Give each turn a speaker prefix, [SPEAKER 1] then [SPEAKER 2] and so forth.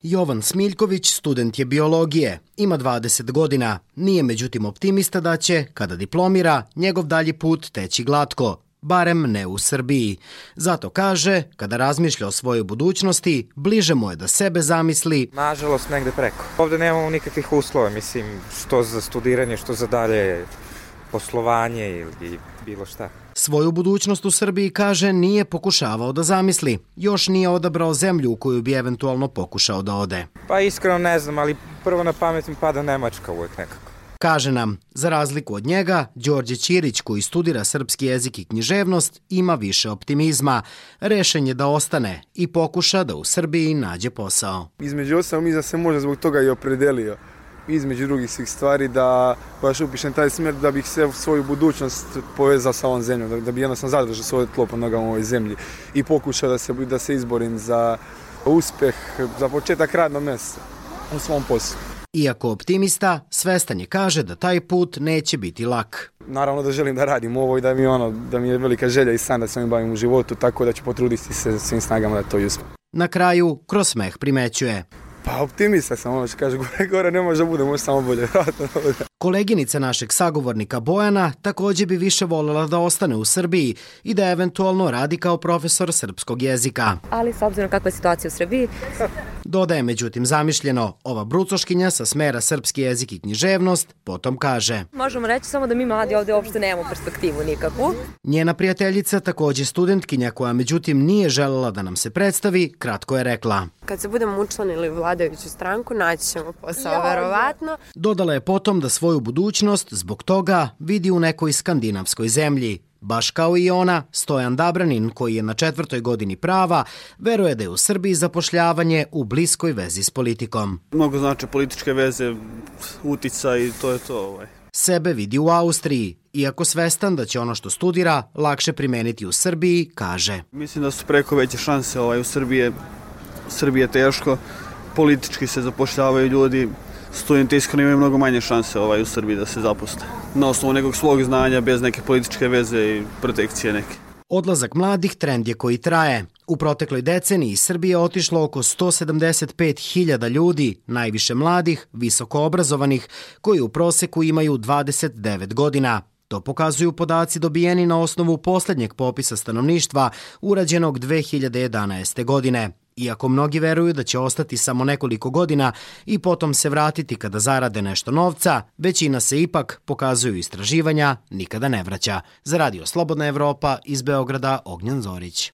[SPEAKER 1] Jovan Smiljković student je biologije, ima 20 godina, nije međutim optimista da će, kada diplomira, njegov dalji put teći glatko, barem ne u Srbiji. Zato kaže, kada razmišlja o svojoj budućnosti, bliže mu je da sebe zamisli.
[SPEAKER 2] Nažalost, negde preko. Ovde nemamo nikakvih uslova, mislim, što za studiranje, što za dalje poslovanje ili bilo šta.
[SPEAKER 1] Svoju budućnost u Srbiji, kaže, nije pokušavao da zamisli. Još nije odabrao zemlju u koju bi eventualno pokušao da ode.
[SPEAKER 2] Pa iskreno ne znam, ali prvo na pamet mi pada Nemačka uvijek nekako.
[SPEAKER 1] Kaže nam, za razliku od njega, Đorđe Ćirić, koji studira srpski jezik i književnost, ima više optimizma. Rešen je da ostane i pokuša da u Srbiji nađe posao.
[SPEAKER 3] Između ostalog, mislim da se možda zbog toga i opredelio. Između drugih svih stvari da baš upišem taj smjer da bih se svoju budućnost povezao sa ovom zemljom, da bi jednostavno zadržao svoje tlo pod nogama u ovoj zemlji i pokušao da se izborim za uspjeh, za početak radnog mjesta u svom poslu.
[SPEAKER 1] Iako optimista, svestan je, kaže, da taj put neće biti lak.
[SPEAKER 3] Naravno da želim da radim ovo i da mi je velika želja i san da se ovim bavim u životu, tako da ću potruditi se svim snagama da to i uspem.
[SPEAKER 1] Na kraju, kroz smeh primećuje.
[SPEAKER 3] Pa optimista sam, ono što kaže, gore ne može da bude, može samo bolje.
[SPEAKER 1] Koleginica našeg sagovornika Bojana također bi više voljela da ostane u Srbiji i da eventualno radi kao profesor srpskog jezika.
[SPEAKER 4] Ali s obzirom kakva je situacija u Srbiji...
[SPEAKER 1] Dodaje međutim zamišljeno, ova brucoškinja sa smera srpski jezik i književnost potom kaže.
[SPEAKER 4] Možemo reći samo da mi mladi ovdje uopšte nemamo perspektivu nikakvu.
[SPEAKER 1] Njena prijateljica, također studentkinja koja međutim nije želela da nam se predstavi, kratko je rekla.
[SPEAKER 5] Kad se budemo učlanili u vladajuću stranku, naći ćemo posao, verovatno.
[SPEAKER 1] Dodala je potom da svoju budućnost zbog toga vidi u nekoj skandinavskoj zemlji. Baš kao i ona, Stojan Dabranin, koji je na 4. godini prava, veruje da je u Srbiji zapošljavanje u bliskoj vezi s politikom.
[SPEAKER 6] Mnogo znači političke veze, uticaj i to je to.
[SPEAKER 1] Sebe vidi u Austriji, iako svestan da će ono što studira lakše primeniti u Srbiji, kaže.
[SPEAKER 6] Mislim da su preko veće šanse u Srbiji. Srbije je teško, politički se zapošljavaju ljudi, studenti iskreno imaju mnogo manje šanse u Srbiji da se zaposle. Na osnovu nekog svog znanja, bez neke političke veze i protekcije neke.
[SPEAKER 1] Odlazak mladih trend je koji traje. U protekloj deceniji iz Srbije otišlo oko 175.000 ljudi, najviše mladih, visoko obrazovanih, koji u proseku imaju 29 godina. To pokazuju podaci dobijeni na osnovu posljednjeg popisa stanovništva urađenog 2011. godine. Iako mnogi veruju da će ostati samo nekoliko godina i potom se vratiti kada zarade nešto novca, većina se ipak, pokazuju istraživanja, nikada ne vraća. Za Radio Slobodna Evropa iz Beograda, Ognjen Zorić.